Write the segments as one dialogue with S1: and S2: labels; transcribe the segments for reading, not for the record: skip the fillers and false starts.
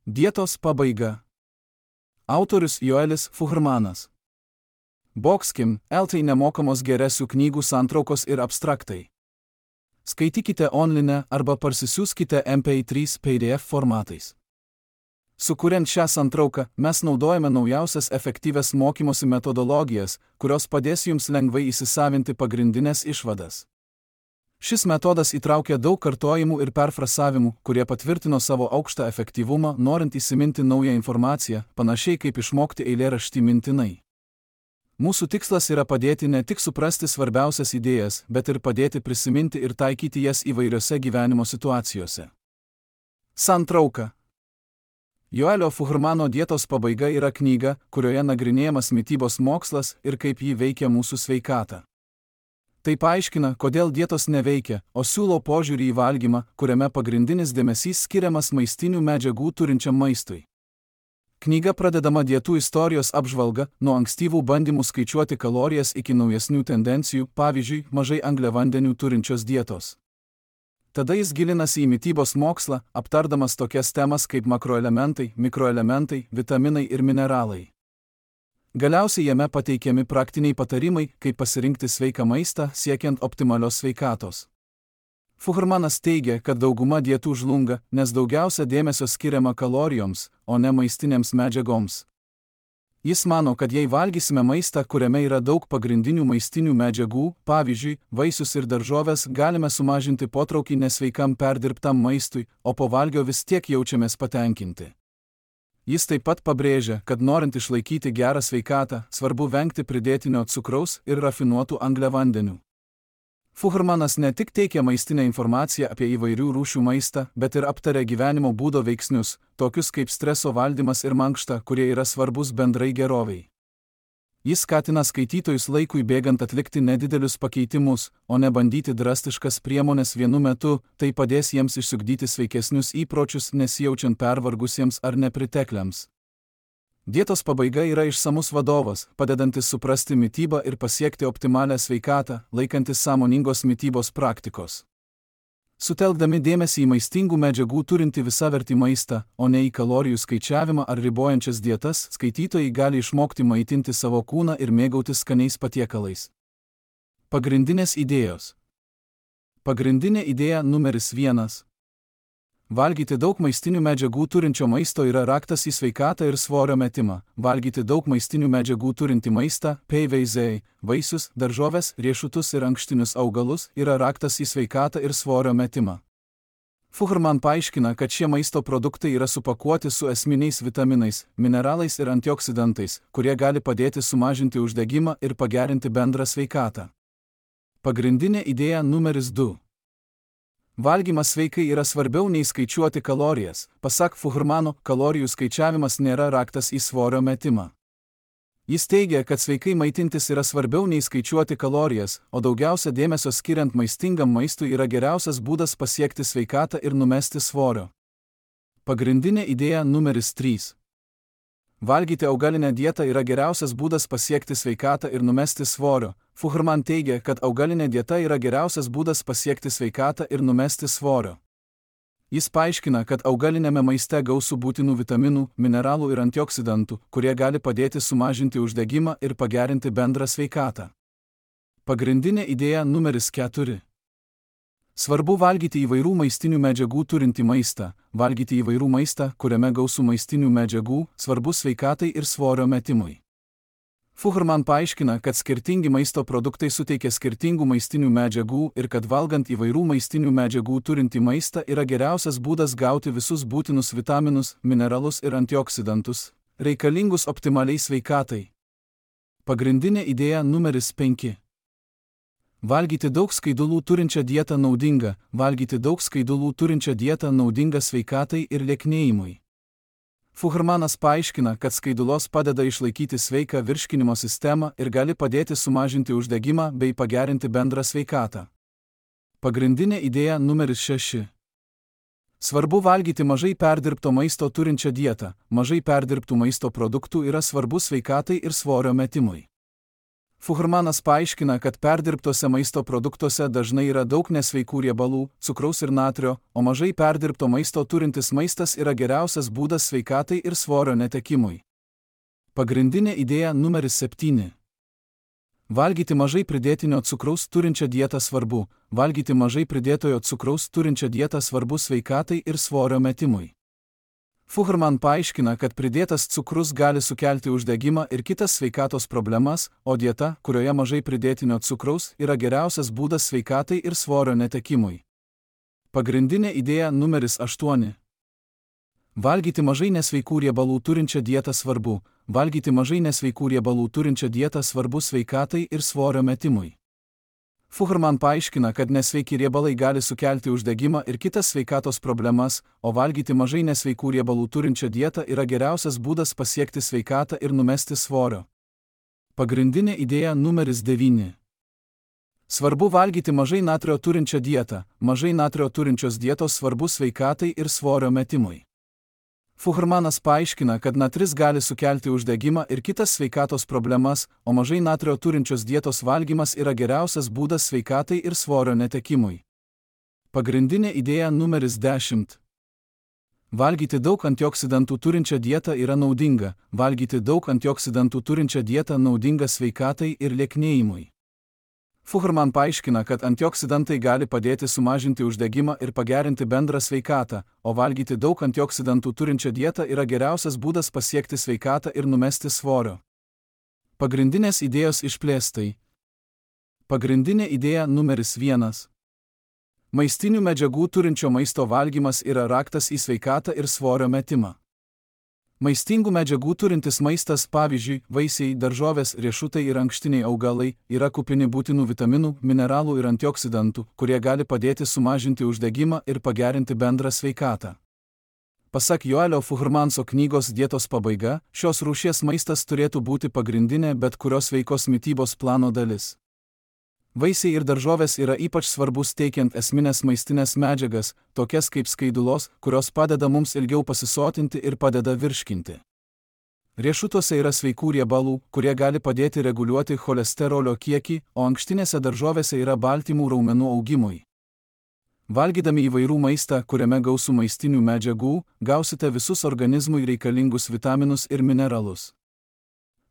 S1: Dietos pabaiga. Autorius Joelis Fuhrmanas. Boxkim, LT nemokamos geresių knygų santraukos ir abstraktai. Skaitykite online arba parsisiųskite MP3 PDF formatais. Sukuriant šią santrauką, mes naudojame naujausias efektyvias mokymosi metodologijas, kurios padės jums lengvai įsisavinti pagrindinės išvadas. Šis metodas įtraukia daug kartojimų ir perfrasavimų, kurie patvirtino savo aukštą efektyvumą, norint įsiminti naują informaciją, panašiai kaip išmokti eilėraštį mintinai. Mūsų tikslas yra padėti ne tik suprasti svarbiausias idėjas, bet ir padėti prisiminti ir taikyti jas įvairiose gyvenimo situacijose. Santrauka. Joelio Fuhrmano Dietos pabaiga yra knyga, kurioje nagrinėjamas mitybos mokslas ir kaip ji veikia mūsų sveikatą. Tai paaiškina, kodėl dietos neveikia, o siūlo požiūrį į valgymą, kuriame pagrindinis dėmesys skiriamas maistinių medžiagų turinčiam maistui. Knyga pradedama dietų istorijos apžvalga, nuo ankstyvų bandymų skaičiuoti kalorijas iki naujesnių tendencijų, pavyzdžiui, mažai angliavandenių turinčios dietos. Tada jis gilinasi į mitybos mokslą, aptardamas tokias temas kaip makroelementai, mikroelementai, vitaminai ir mineralai. Galiausiai jame pateikiami praktiniai patarimai, kaip pasirinkti sveiką maistą, siekiant optimalios sveikatos. Fuhrmanas teigia, kad dauguma dietų žlunga, nes daugiausia dėmesio skiriama kalorijoms, o ne maistinėms medžiagoms. Jis mano, kad jei valgysime maistą, kuriame yra daug pagrindinių maistinių medžiagų, pavyzdžiui, vaisius ir daržoves, galime sumažinti potraukį nesveikam perdirbtam maistui, o po valgio vis tiek jaučiamės patenkinti. Jis taip pat pabrėžia, kad norint išlaikyti gerą sveikatą, svarbu vengti pridėtinio cukraus ir rafinuotų angliavandenių. Fuhrmanas ne tik teikia maistinę informaciją apie įvairių rūšių maistą, bet ir aptaria gyvenimo būdo veiksnius, tokius kaip streso valdymas ir mankšta, kurie yra svarbus bendrai gerovei. Jis skatina skaitytojus laikui bėgant atlikti nedidelius pakeitimus, o ne bandyti drastiškas priemones vienu metu, tai padės jiems išsiugdyti sveikesnius įpročius, nesijaučiant pervargusiems ar nepritekliams. Dietos pabaiga yra išsamus vadovas, padedantis suprasti mitybą ir pasiekti optimalią sveikatą, laikantis sąmoningos mitybos praktikos. Sutelkdami dėmesį į maistingų medžiagų turinti visavertį maistą, o ne į kalorijų skaičiavimą ar ribojančias dietas, skaitytojai gali išmokti maitinti savo kūną ir mėgautis skaniais patiekalais. Pagrindinės idėjos. Pagrindinė idėja numeris 1. Valgyti daug maistinių medžiagų turinčio maisto yra raktas į sveikatą ir svorio metimą. Valgyti daug maistinių medžiagų turinti maistą, PVZ, vaisius, daržoves, riešutus ir ankštinius augalus yra raktas į sveikatą ir svorio metimą. Fuhrman paaiškina, kad šie maisto produktai yra supakuoti su esminiais vitaminais, mineralais ir antioksidantais, kurie gali padėti sumažinti uždegimą ir pagerinti bendrą sveikatą. Pagrindinė idėja numeris 2. Valgymas sveikai yra svarbiau nei skaičiuoti kalorijas. Pasak Fuhrmano, kalorijų skaičiavimas nėra raktas į svorio metimą. Jis teigia, kad sveikai maitintis yra svarbiau nei skaičiuoti kalorijas, o daugiausia dėmesio skiriant maistingam maistui yra geriausias būdas pasiekti sveikatą ir numesti svorio. Pagrindinė idėja numeris 3. Valgyti augalinę dietą yra geriausias būdas pasiekti sveikatą ir numesti svorio. Fuhrman teigia, kad augalinė dieta yra geriausias būdas pasiekti sveikatą ir numesti svorio. Jis paaiškina, kad augalinėme maiste gausu būtinų vitaminų, mineralų ir antioksidantų, kurie gali padėti sumažinti uždegimą ir pagerinti bendrą sveikatą. Pagrindinė idėja numeris 4. Svarbu valgyti įvairių maistinių medžiagų turinti maistą. Valgyti įvairių maistą, kuriame gausu maistinių medžiagų, svarbu sveikatai ir svorio metimui. Fuhrman paaiškina, kad skirtingi maisto produktai suteikia skirtingų maistinių medžiagų ir kad valgant įvairių maistinių medžiagų turinti maistą yra geriausias būdas gauti visus būtinus vitaminus, mineralus ir antioksidantus, reikalingus optimaliai sveikatai. Pagrindinė idėja numeris 5. Valgyti daug skaidulų turinčią dietą naudinga. Valgyti daug skaidulų turinčią dietą naudinga sveikatai ir lieknėjimui. Fuhrmanas paaiškina, kad skaidulos padeda išlaikyti sveiką virškinimo sistemą ir gali padėti sumažinti uždegimą bei pagerinti bendrą sveikatą. Pagrindinė idėja numeris 6. Svarbu valgyti mažai perdirbto maisto turinčią dietą. Mažai perdirbtų maisto produktų yra svarbu sveikatai ir svorio metimui. Fuhrmanas paaiškina, kad perdirbtose maisto produktuose dažnai yra daug nesveikų riebalų, cukraus ir natrio, o mažai perdirbto maisto turintis maistas yra geriausias būdas sveikatai ir svorio netekimui. Pagrindinė idėja numeris 7. Valgyti mažai pridėtinio cukraus turinčią dietą svarbu. Valgyti mažai pridėtojo cukraus turinčią dietą svarbu sveikatai ir svorio metimui. Fuhrman paaiškina, kad pridėtas cukrus gali sukelti uždegimą ir kitas sveikatos problemas, o dieta, kurioje mažai pridėtinio cukraus, yra geriausias būdas sveikatai ir svorio netekimui. Pagrindinė idėja numeris 8. Valgyti mažai nesveikų riebalų turinčią dietą svarbu. Valgyti mažai nesveikų riebalų turinčią dietą svarbu sveikatai ir svorio metimui. Fuhrman paaiškina, kad nesveiki riebalai gali sukelti uždegimą ir kitas sveikatos problemas, o valgyti mažai nesveikų riebalų turinčią dietą yra geriausias būdas pasiekti sveikatą ir numesti svorio. Pagrindinė idėja numeris 9. Svarbu valgyti mažai natrio turinčią dietą. Mažai natrio turinčios dietos svarbu sveikatai ir svorio metimui. Fuhrmanas paaiškina, kad natris gali sukelti uždegimą ir kitas sveikatos problemas, o mažai natrio turinčios dietos valgymas yra geriausias būdas sveikatai ir svorio netekimui. Pagrindinė idėja numeris 10. Valgyti daug antioksidantų turinčią dietą yra naudinga. Valgyti daug antioksidantų turinčią dietą naudinga sveikatai ir lieknėjimui. Fuhrman paaiškina, kad antioksidantai gali padėti sumažinti uždegimą ir pagerinti bendrą sveikatą, o valgyti daug antioksidantų turinčią dietą yra geriausias būdas pasiekti sveikatą ir numesti svorio. Pagrindinės idėjos išplėstai. Pagrindinė idėja numeris 1. Maistinių medžiagų turinčio maisto valgymas yra raktas į sveikatą ir svorio metimą. Maistingų medžiagų turintis maistas, pavyzdžiui, vaisiai, daržovės, riešutai ir ankštiniai augalai, yra kupini būtinų vitaminų, mineralų ir antioksidantų, kurie gali padėti sumažinti uždegimą ir pagerinti bendrą sveikatą. Pasak Joelio Fuhrmanso knygos Dietos pabaiga, šios rūšies maistas turėtų būti pagrindinė bet kurios sveikos mitybos plano dalis. Vaisiai ir daržovės yra ypač svarbus teikiant esminės maistinės medžiagas, tokias kaip skaidulos, kurios padeda mums ilgiau pasisotinti ir padeda virškinti. Riešutuose yra sveikų riebalų, kurie gali padėti reguliuoti cholesterolio kiekį, o ankštinėse daržovėse yra baltymų raumenų augimui. Valgydami įvairių maistą, kuriame gausu maistinių medžiagų, gausite visus organizmui reikalingus vitaminus ir mineralus.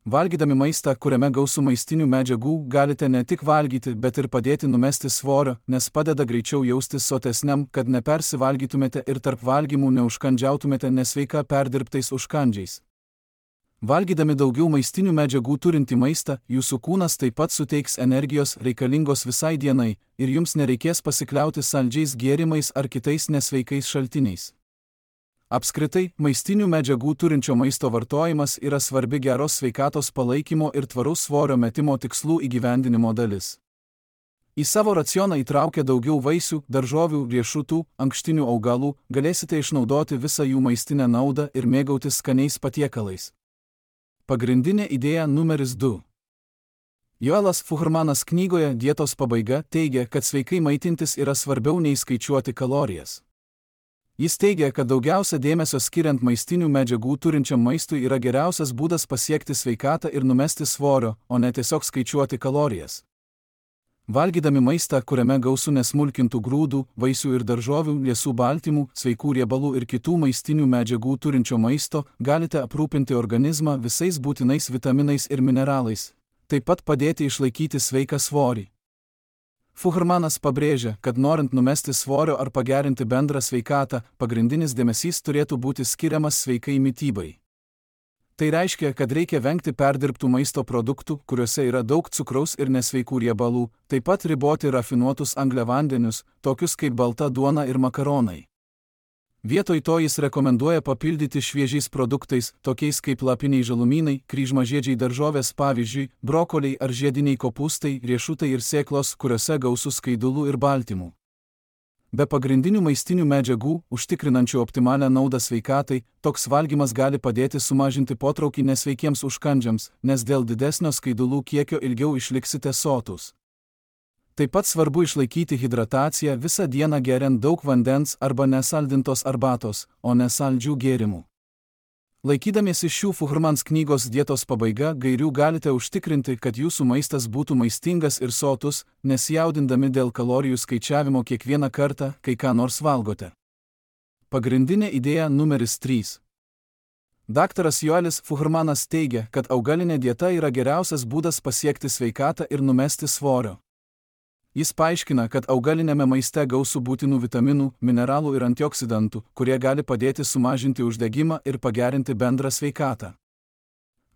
S1: Valgydami maistą, kuriame gausu maistinių medžiagų, galite ne tik valgyti, bet ir padėti numesti svorio, nes padeda greičiau jaustis sotesniam, kad nepersivalgytumėte ir tarp valgymų neužkandžiautumėte nesveika perdirbtais užkandžiais. Valgydami daugiau maistinių medžiagų turintį maistą, jūsų kūnas taip pat suteiks energijos reikalingos visai dienai ir jums nereikės pasikliauti saldžiais gėrimais ar kitais nesveikais šaltiniais. Apskritai, maistinių medžiagų turinčio maisto vartojimas yra svarbi geros sveikatos palaikymo ir tvaraus svorio metimo tikslų įgyvendinimo dalis. Į savo racioną įtraukę daugiau vaisių, daržovių, riešutų, ankštinių augalų, galėsite išnaudoti visą jų maistinę naudą ir mėgautis skaniais patiekalais. Pagrindinė idėja numeris 2. Joelas Fuhrmanas knygoje Dietos pabaiga teigia, kad sveikai maitintis yra svarbiau nei skaičiuoti kalorijas. Jis teigia, kad daugiausia dėmesio skiriant maistinių medžiagų turinčiam maistui yra geriausias būdas pasiekti sveikatą ir numesti svorio, o ne tiesiog skaičiuoti kalorijas. Valgydami maistą, kuriame gausu nesmulkintų grūdų, vaisių ir daržovių, liesų baltymų, sveikų riebalų ir kitų maistinių medžiagų turinčio maisto, galite aprūpinti organizmą visais būtinais vitaminais ir mineralais, taip pat padėti išlaikyti sveiką svorį. Fuhrmanas pabrėžia, kad norint numesti svorio ar pagerinti bendrą sveikatą, pagrindinis dėmesys turėtų būti skiriamas sveikai mitybai. Tai reiškia, kad reikia vengti perdirbtų maisto produktų, kuriuose yra daug cukraus ir nesveikų riebalų, taip pat riboti rafinuotus angliavandenius, tokius kaip balta duona ir makaronai. Vietoj to jis rekomenduoja papildyti šviežiais produktais, tokiais kaip lapiniai žalumynai, kryžmažiedžiai daržovės, pavyzdžiui, brokoliai ar žiediniai kopūstai, riešutai ir sėklos, kuriuose gausu skaidulų ir baltymų. Be pagrindinių maistinių medžiagų, užtikrinančių optimalią naudą sveikatai, toks valgymas gali padėti sumažinti potraukį nesveikiems užkandžiams, nes dėl didesnio skaidulų kiekio ilgiau išliksite sotūs. Taip pat svarbu išlaikyti hidrataciją visą dieną geriant daug vandens arba nesaldintos arbatos, o ne saldžių gėrimų. Laikydamiesi šių Fuhrmans knygos dietos pabaiga gairių galite užtikrinti, kad jūsų maistas būtų maistingas ir sotus, nesijaudindami dėl kalorijų skaičiavimo kiekvieną kartą, kai ką nors valgote. Pagrindinė idėja numeris 3. Daktaras Joelis Fuhrmanas teigia, kad augalinė dieta yra geriausias būdas pasiekti sveikatą ir numesti svorio. Jis paaiškina, kad augalinėme maiste gausu būtinų vitaminų, mineralų ir antioksidantų, kurie gali padėti sumažinti uždegimą ir pagerinti bendrą sveikatą.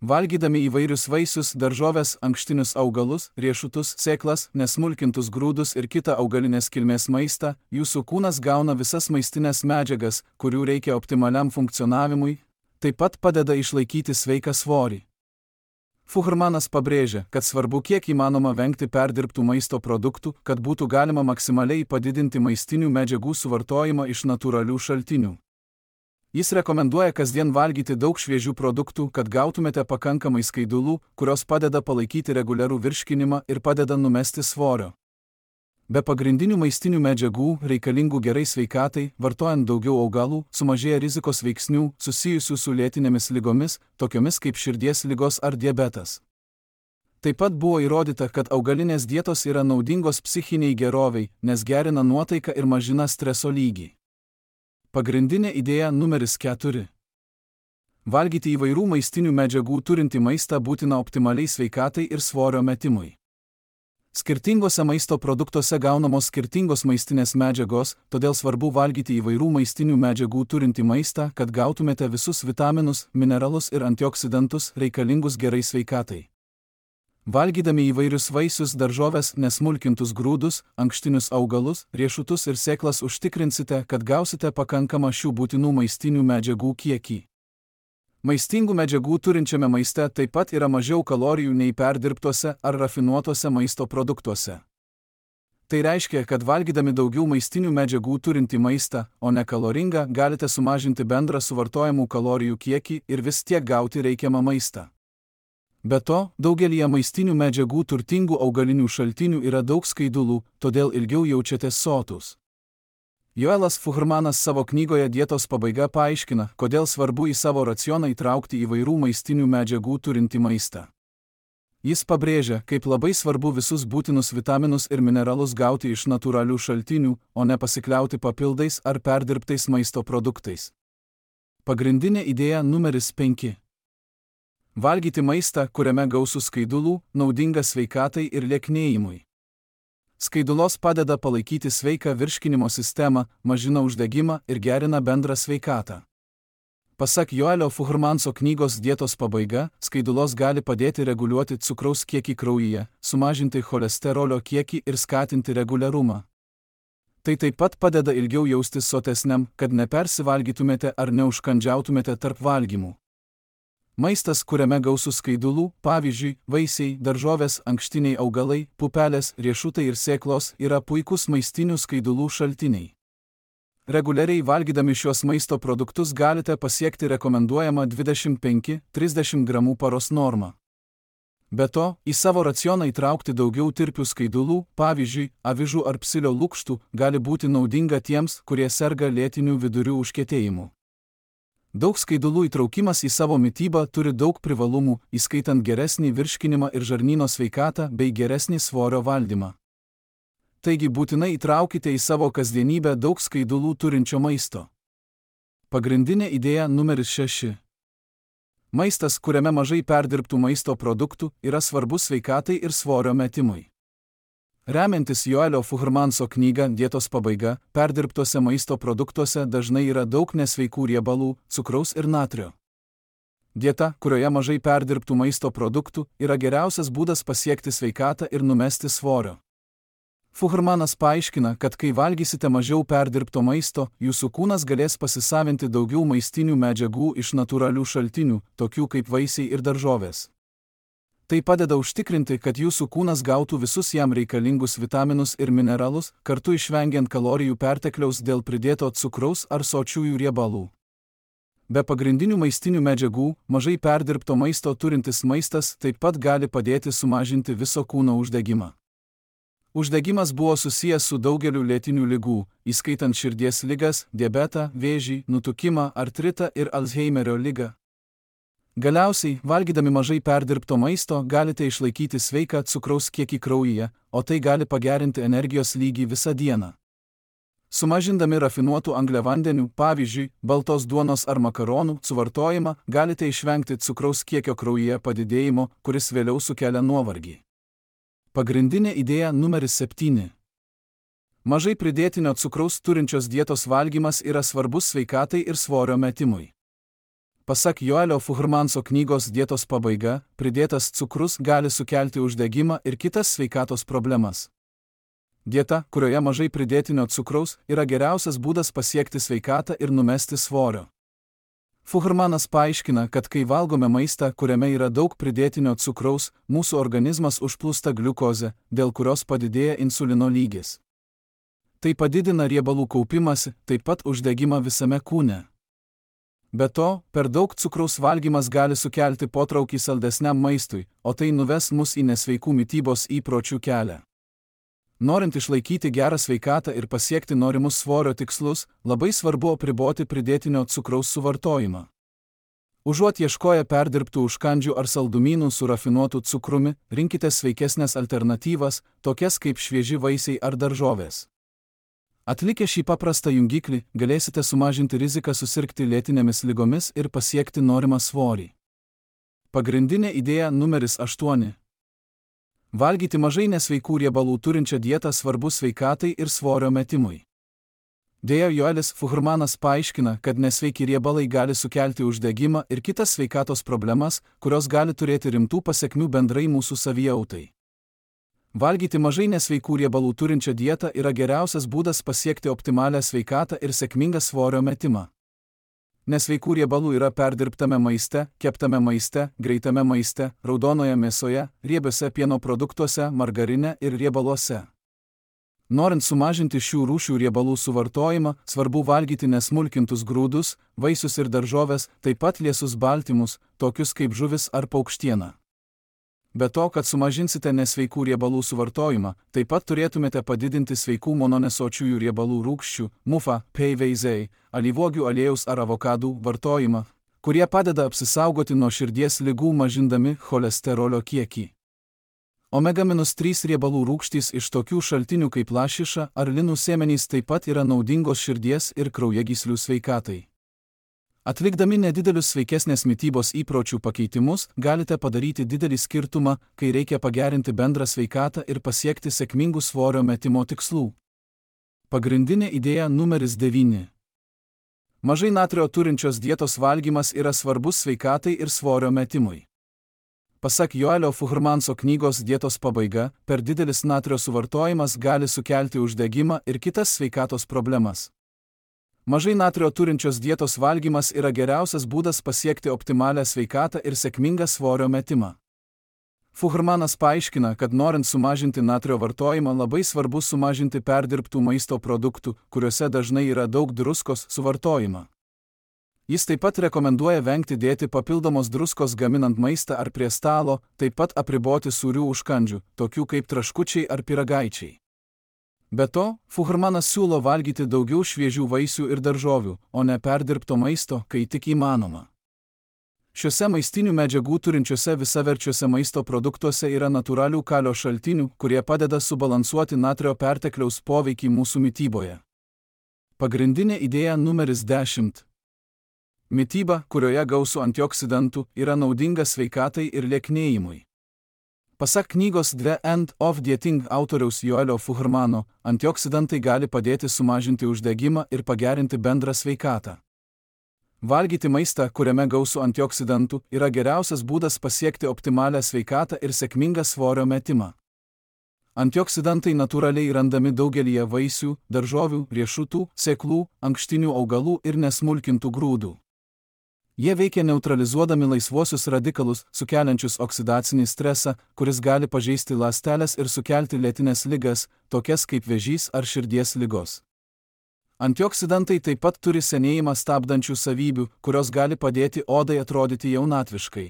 S1: Valgydami įvairius vaisius, daržoves, ankštinius augalus, riešutus, sėklas, nesmulkintus grūdus ir kitą augalinės kilmės maistą, jūsų kūnas gauna visas maistinės medžiagas, kurių reikia optimaliam funkcionavimui, taip pat padeda išlaikyti sveiką svorį. Fuhrmanas pabrėžia, kad svarbu kiek įmanoma vengti perdirbtų maisto produktų, kad būtų galima maksimaliai padidinti maistinių medžiagų suvartojimą iš natūralių šaltinių. Jis rekomenduoja kasdien valgyti daug šviežių produktų, kad gautumėte pakankamai skaidulų, kurios padeda palaikyti reguliarų virškinimą ir padeda numesti svorio. Be pagrindinių maistinių medžiagų, reikalingų gerai sveikatai, vartojant daugiau augalų, sumažėja rizikos veiksnių susijusių su lėtinėmis ligomis, tokiomis kaip širdies ligos ar diabetas. Taip pat buvo įrodyta, kad augalinės dietos yra naudingos psichiniai geroviai, nes gerina nuotaiką ir mažina streso lygį. Pagrindinė idėja numeris 4. Valgyti įvairių maistinių medžiagų turintį maistą būtina optimaliai sveikatai ir svorio metimui. Skirtingose maisto produktuose gaunamos skirtingos maistinės medžiagos, todėl svarbu valgyti įvairių maistinių medžiagų turintį maistą, kad gautumėte visus vitaminus, mineralus ir antioksidantus reikalingus gerai sveikatai. Valgydami įvairius vaisius, daržoves, nesmulkintus grūdus, ankštinius augalus, riešutus ir sėklas užtikrinsite, kad gausite pakankamą šių būtinų maistinių medžiagų kiekį. Maistingų medžiagų turinčiame maiste taip pat yra mažiau kalorijų nei perdirbtuose ar rafinuotuose maisto produktuose. Tai reiškia, kad valgydami daugiau maistinių medžiagų turintį maistą, o ne kaloringą, galite sumažinti bendrą suvartojamų kalorijų kiekį ir vis tiek gauti reikiamą maistą. Be to, daugelyje maistinių medžiagų turtingų augalinių šaltinių yra daug skaidulų, todėl ilgiau jaučiatės sotus. Joelas Fuhrmanas savo knygoje Dietos pabaiga paaiškina, kodėl svarbu į savo racioną įtraukti įvairių maistinių medžiagų turintį maistą. Jis pabrėžia, kaip labai svarbu visus būtinus vitaminus ir mineralus gauti iš natūralių šaltinių, o ne pasikliauti papildais ar perdirbtais maisto produktais. Pagrindinė idėja numeris 5. Valgyti maistą, kuriame gausu skaidulų, naudinga sveikatai ir lieknėjimui. Skaidulos padeda palaikyti sveiką virškinimo sistemą, mažina uždegimą ir gerina bendrą sveikatą. Pasak Joelio Fuhrmanso knygos Dietos pabaiga, skaidulos gali padėti reguliuoti cukraus kiekį kraujyje, sumažinti cholesterolio kiekį ir skatinti reguliarumą. Tai taip pat padeda ilgiau jaustis sotesniam, kad nepersivalgytumėte ar neužkandžiautumėte tarp valgymų. Maistas, kuriame gausu skaidulų, pavyzdžiui, vaisiai, daržovės, ankštiniai augalai, pupelės, riešutai ir sėklos, yra puikus maistinių skaidulų šaltiniai. Reguliariai valgydami šios maisto produktus galite pasiekti rekomenduojamą 25–30 gramų paros normą. Be to, į savo racioną įtraukti daugiau tirpių skaidulų, pavyzdžiui, avižų ar psilio lukštų, gali būti naudinga tiems, kurie serga lėtiniu vidurių užkietėjimu. Daug skaidulų įtraukimas į savo mitybą turi daug privalumų, įskaitant geresnį virškinimą ir žarnyno sveikatą bei geresnį svorio valdymą. Taigi būtinai įtraukite į savo kasdienybę daug skaidulų turinčio maisto. Pagrindinė idėja numeris 6. Maistas, kuriame mažai perdirbtų maisto produktų, yra svarbus sveikatai ir svorio metimui. Remiantis Joelio Fuhrmanso knygą Dietos pabaiga, perdirbtuose maisto produktuose dažnai yra daug nesveikų riebalų, cukraus ir natrio. Dieta, kurioje mažai perdirbtų maisto produktų, yra geriausias būdas pasiekti sveikatą ir numesti svorio. Fuhrmanas paaiškina, kad kai valgysite mažiau perdirbto maisto, jūsų kūnas galės pasisavinti daugiau maistinių medžiagų iš natūralių šaltinių, tokių kaip vaisiai ir daržovės. Tai padeda užtikrinti, kad jūsų kūnas gautų visus jam reikalingus vitaminus ir mineralus, kartu išvengiant kalorijų pertekliaus dėl pridėto cukraus ar sočiųjų riebalų. Be pagrindinių maistinių medžiagų, mažai perdirbto maisto turintis maistas taip pat gali padėti sumažinti viso kūno uždegimą. Uždegimas buvo susijęs su daugeliu lėtinių ligų, įskaitant širdies ligas, diabetą, vėžį, nutukimą, artritą ir Alzheimerio ligą. Galiausiai, valgydami mažai perdirbto maisto, galite išlaikyti sveiką cukraus kiekį kraujyje, o tai gali pagerinti energijos lygį visą dieną. Sumažindami rafinuotų angliavandenių, pavyzdžiui, baltos duonos ar makaronų suvartojimą, galite išvengti cukraus kiekio kraujyje padidėjimo, kuris vėliau sukelia nuovargį. Pagrindinė idėja numeris 7. Mažai pridėtinio cukraus turinčios dietos valgymas yra svarbus sveikatai ir svorio metimui. Pasak Joelio Fuhrmanso knygos Dietos pabaiga, pridėtas cukrus gali sukelti uždegimą ir kitas sveikatos problemas. Dieta, kurioje mažai pridėtinio cukraus, yra geriausias būdas pasiekti sveikatą ir numesti svorio. Fuhrmanas paaiškina, kad kai valgome maistą, kuriame yra daug pridėtinio cukraus, mūsų organizmas užplūsta gliukozė, dėl kurios padidėja insulino lygis. Tai padidina riebalų kaupimąsi, taip pat uždegimą visame kūne. Be to, per daug cukraus valgymas gali sukelti potraukį saldesniam maistui, o tai nuves mus į nesveikų mitybos įpročių kelią. Norint išlaikyti gerą sveikatą ir pasiekti norimus svorio tikslus, labai svarbu apriboti pridėtinio cukraus suvartojimą. Užuot ieškoję perdirbtų užkandžių ar saldumynų su rafinuotu cukrumi, rinkite sveikesnės alternatyvas, tokias kaip švieži vaisiai ar daržovės. Atlikę šį paprastą jungiklį, galėsite sumažinti riziką susirgti lėtinėmis ligomis ir pasiekti norimą svorį. Pagrindinė idėja numeris 8. Valgyti mažai nesveikų riebalų turinčią dietą svarbu sveikatai ir svorio metimui. Deja, Joelis Fuhrmanas paaiškina, kad nesveiki riebalai gali sukelti uždegimą ir kitas sveikatos problemas, kurios gali turėti rimtų pasekmių bendrai mūsų savijautai. Valgyti mažai nesveikų riebalų turinčią dietą yra geriausias būdas pasiekti optimalią sveikatą ir sėkmingą svorio metimą. Nesveikų riebalų yra perdirbtame maiste, keptame maiste, greitame maiste, raudonoje mėsoje, riebiuose pieno produktuose, margarine ir riebaluose. Norint sumažinti šių rūšių riebalų suvartojimą, svarbu valgyti nesmulkintus grūdus, vaisius ir daržoves, taip pat liesus baltymus, tokius kaip žuvis ar paukštiena. Be to, kad sumažinsite nesveikų riebalų suvartojimą, taip pat turėtumėte padidinti sveikų mononesočiųjų riebalų rūgščių, MUFA, PVZ, alyvuogių aliejaus ar avokadų vartojimą, kurie padeda apsisaugoti nuo širdies ligų mažindami cholesterolio kiekį. Omega-3 riebalų rūgštys iš tokių šaltinių kaip lašiša ar linų sėmenys taip pat yra naudingos širdies ir kraujagyslių sveikatai. Atlikdami nedidelius sveikesnės mitybos įpročių pakeitimus, galite padaryti didelį skirtumą, kai reikia pagerinti bendrą sveikatą ir pasiekti sėkmingų svorio metimo tikslų. Pagrindinė idėja numeris 9. Mažai natrio turinčios dietos valgymas yra svarbus sveikatai ir svorio metimui. Pasak Joelio Fuhrmanso knygos Dietos pabaiga, per didelis natrio suvartojimas gali sukelti uždegimą ir kitas sveikatos problemas. Mažai natrio turinčios dietos valgymas yra geriausias būdas pasiekti optimalią sveikatą ir sėkmingą svorio metimą. Fuhrmanas paaiškina, kad norint sumažinti natrio vartojimą labai svarbu sumažinti perdirbtų maisto produktų, kuriuose dažnai yra daug druskos, suvartojimą. Jis taip pat rekomenduoja vengti dėti papildomos druskos gaminant maistą ar prie stalo, taip pat apriboti sūrių užkandžių, tokių kaip traškučiai ar pyragaičiai. Be to, Fuhrmanas siūlo valgyti daugiau šviežių vaisių ir daržovių, o ne perdirbto maisto, kai tik įmanoma. Šiuose maistinių medžiagų turinčiuose visaverčiuose maisto produktuose yra natūralių kalio šaltinių, kurie padeda subalansuoti natrio pertekliaus poveikį mūsų mityboje. Pagrindinė idėja numeris 10. Mityba, kurioje gausu antioksidantų, yra naudinga sveikatai ir lieknėjimui. Pasak knygos The End of Dieting autoriaus Joelio Fuhrmano, antioksidantai gali padėti sumažinti uždegimą ir pagerinti bendrą sveikatą. Valgyti maistą, kuriame gausu antioksidantų, yra geriausias būdas pasiekti optimalią sveikatą ir sėkmingą svorio metimą. Antioksidantai natūraliai randami daugelyje vaisių, daržovių, riešutų, sėklų, ankštinių augalų ir nesmulkintų grūdų. Jie veikia neutralizuodami laisvuosius radikalus, sukeliančius oksidacinį stresą, kuris gali pažeisti ląsteles ir sukelti lėtines ligas, tokias kaip vėžys ar širdies ligos. Antioksidantai taip pat turi senėjimą stabdančių savybių, kurios gali padėti odai atrodyti jaunatviškai.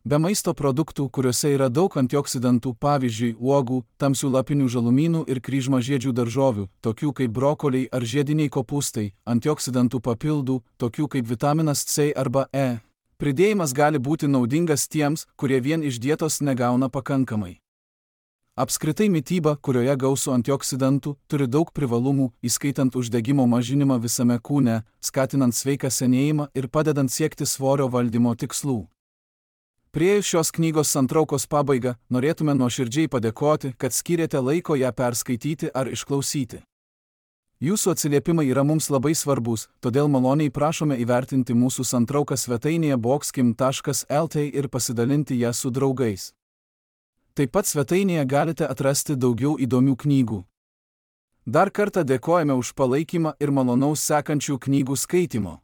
S1: Be maisto produktų, kuriuose yra daug antioksidantų, pavyzdžiui, uogų, tamsių lapinių žalumynų ir kryžmažiedžių daržovių, tokių kaip brokoliai ar žiediniai kopūstai, antioksidantų papildų, tokių kaip vitaminas C arba E, Pridėjimas gali būti naudingas tiems, kurie vien iš dietos negauna pakankamai. Apskritai mityba, kurioje gausu antioksidantų, turi daug privalumų, įskaitant uždegimo mažinimą visame kūne, skatinant sveiką senėjimą ir padedant siekti svorio valdymo tikslų. Priėjus šios knygos santraukos pabaigą, norėtume nuoširdžiai padėkoti, kad skyrėte laiko ją perskaityti ar išklausyti. Jūsų atsiliepimai yra mums labai svarbus, todėl maloniai prašome įvertinti mūsų santrauką svetainėje boxkim.lt ir pasidalinti ją su draugais. Taip pat svetainėje galite atrasti daugiau įdomių knygų. Dar kartą dėkojame už palaikymą ir malonaus sekančių knygų skaitymo.